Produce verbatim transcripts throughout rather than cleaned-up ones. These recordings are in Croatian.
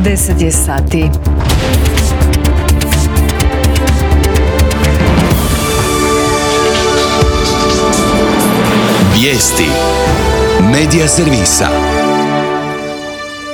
deset je sati. Vijesti Medija servisa.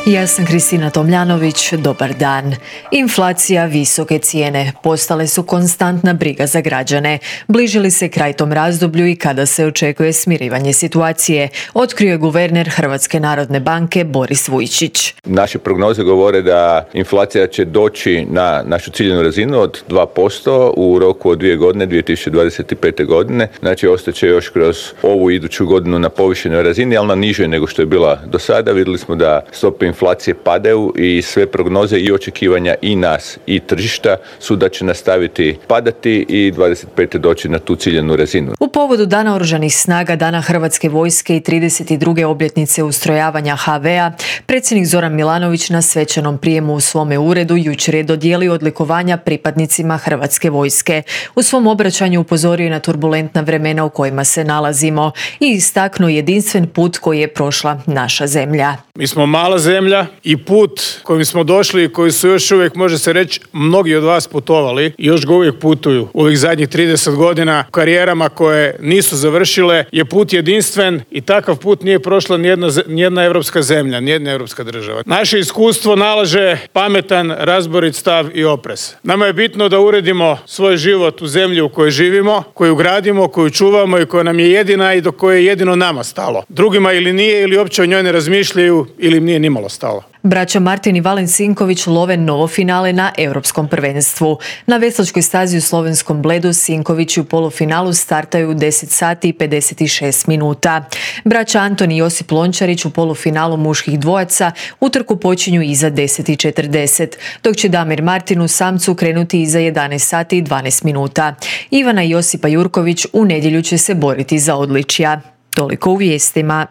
Ja sam Kristina Tomljanović, dobar dan. Inflacija, visoke cijene postale su konstantna briga za građane. Bliži li se kraj tom razdoblju i kada se očekuje smirivanje situacije, otkrio je guverner Hrvatske narodne banke Boris Vujčić. Naše prognoze govore da inflacija će doći na našu ciljenu razinu od dva posto u roku od dvije godine, dvije tisuće dvadeset pete. godine. Znači, ostaće još kroz ovu iduću godinu na povišenoj razini, ali na nižoj nego što je bila do sada. Vidjeli smo da stope inflacije padaju i sve prognoze i očekivanja i nas i tržišta su da će nastaviti padati i dvadeset pete doći na tu ciljenu razinu. U povodu Dana oružanih snaga, Dana Hrvatske vojske i trideset druge obljetnice ustrojavanja ha ve a, predsjednik Zoran Milanović na svečanom prijemu u svome uredu jučer je dodijelio odlikovanja pripadnicima Hrvatske vojske. U svom obraćanju upozorio je na turbulentna vremena u kojima se nalazimo i istaknuo jedinstven put koji je prošla naša zemlja. Mi smo mala zemlja i put kojim smo došli i koji su još uvijek, može se reći, mnogi od vas putovali i još ga uvijek putuju u ovih zadnjih trideset godina karijerama koje nisu završile, je put jedinstven i takav put nije prošla nijedna, nijedna europska zemlja, nijedna europska država. Naše iskustvo nalaže pametan, razborit stav i oprez. Nama je bitno da uredimo svoj život u zemlji u kojoj živimo, koju gradimo, koju čuvamo i koja nam je jedina i do koje je jedino nama stalo. Drugima ili nije, ili uopće o njoj ne razmišljaju, ili im nije nimalo stalo. Braća Martin i Valen Sinković love novo finale na Europskom prvenstvu. Na veslačkoj stazi u slovenskom Bledu Sinkovići u polufinalu startaju u deset sati i pedeset šest minuta. Braća Anton i Josip Lončarić u polufinalu muških dvojaca utrku počinju iza deset i četrdeset, dok će Damir Martin u samcu krenuti iza jedanaest sati i dvanaest minuta. Ivana i Josipa Jurković u nedjelju će se boriti za odličja. Toliko u vijestima.